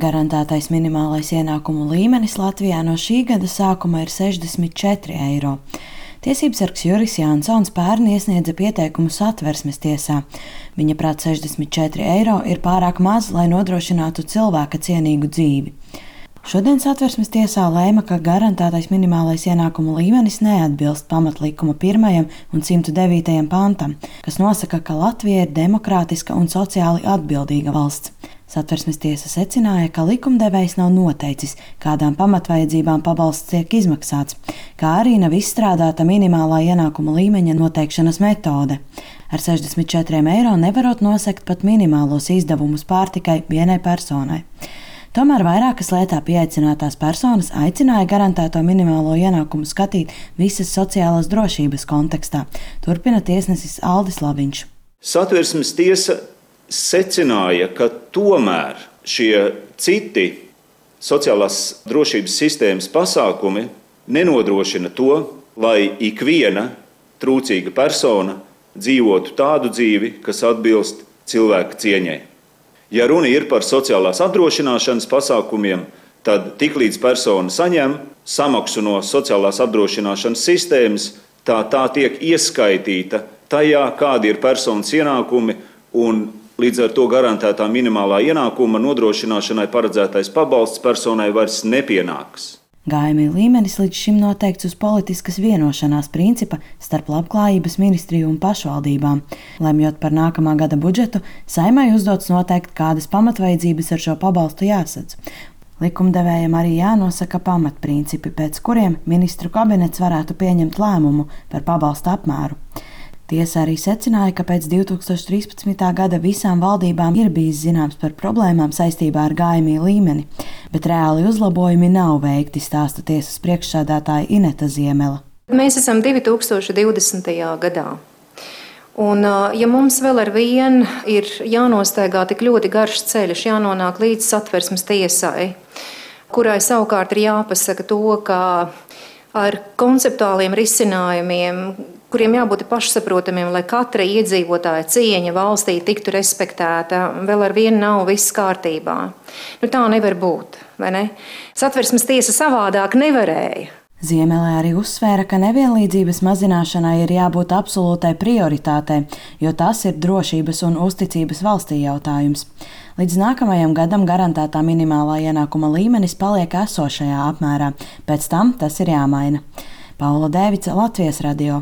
Garantētais minimālais ienākumu līmenis Latvijā no šī gada sākuma ir 64 eiro. Tiesībsargs Juris Jansons pērn iesniedza pieteikumu Satversmes tiesā. Viņa prāt 64 eiro ir pārāk maz, lai nodrošinātu cilvēka cienīgu dzīvi. Šodien Satversmes tiesā lēma, ka garantētais minimālais ienākumu līmenis neatbilst pamatlikuma 1. un 109. pantam, kas nosaka, ka Latvija ir demokrātiska un sociāli atbildīga valsts. Satversmes tiesa secināja, ka likumdevējs nav noteicis, kādām pamatvajadzībām pabalsts tiek izmaksāts, kā arī nav izstrādāta minimālā ienākuma līmeņa noteikšanas metode. Ar 64 eiro nevarot nosekt pat minimālos izdevumus pārtikai vienai personai. Tomēr vairākas lietā pieaicinātās personas aicināja garantēto minimālo ienākumu skatīt visas sociālās drošības kontekstā, turpina tiesnesis Aldis Laviņš. Satversmes tiesa secināja, ka tomēr šie citi sociālās drošības sistēmas pasākumi nenodrošina to, lai ikviena trūcīga persona dzīvotu tādu dzīvi, kas atbilst cilvēka cieņai. Ja runa ir par sociālās apdrošināšanas pasākumiem, tad tiklīdz persona saņem samaksu no sociālās apdrošināšanas sistēmas, tā tiek ieskaitīta tajā, kādi ir personas ienākumi, un līdz ar to garantētā minimālā ienākuma nodrošināšanai paredzētais pabalsts personai vairs nepienāks. GMI līmenis līdz šim noteikts uz politiskas vienošanās principa starp Labklājības ministriju un pašvaldībām. Lemjot par nākamā gada budžetu, Saeimai uzdots noteikt, kādas pamatvajadzības ar šo pabalstu jāsadz. Likumdevējam arī jānosaka pamatprincipi, pēc kuriem ministru kabinets varētu pieņemt lēmumu par pabalstu apmēru. Tiesa arī secināja, ka pēc 2013. gada visām valdībām ir bijis zināms par problēmām saistībā ar GMI līmeni, bet reāli uzlabojumi nav veikti, stāsta tiesas priekšsēdētāja Ineta Ziemela. Mēs esam 2020. gadā. Un, ja mums vēl ar vienu ir jānostaigā tik ļoti garš ceļš, jānonāk līdz Satversmes tiesai, kurai savukārt ir jāpasaka to, ka ar konceptuāliem risinājumiem, kuriem jābūt pašsaprotamiem, lai katra iedzīvotāja cieņa valstī tiktu respektēta, vēl ar vienu nav viss kārtībā. Tā nevar būt, vai ne? Satversmes tiesa savādāk nevarēja. Ziemelē arī uzsvēra, ka nevienlīdzības mazināšanai ir jābūt absolūtai prioritātei, jo tas ir drošības un uzticības valstī jautājums. Līdz nākamajam gadam garantētā minimālā ienākuma līmenis paliek esošajā apmērā, pēc tam tas ir jāmaina. Paula Dēvica, Latvijas radio.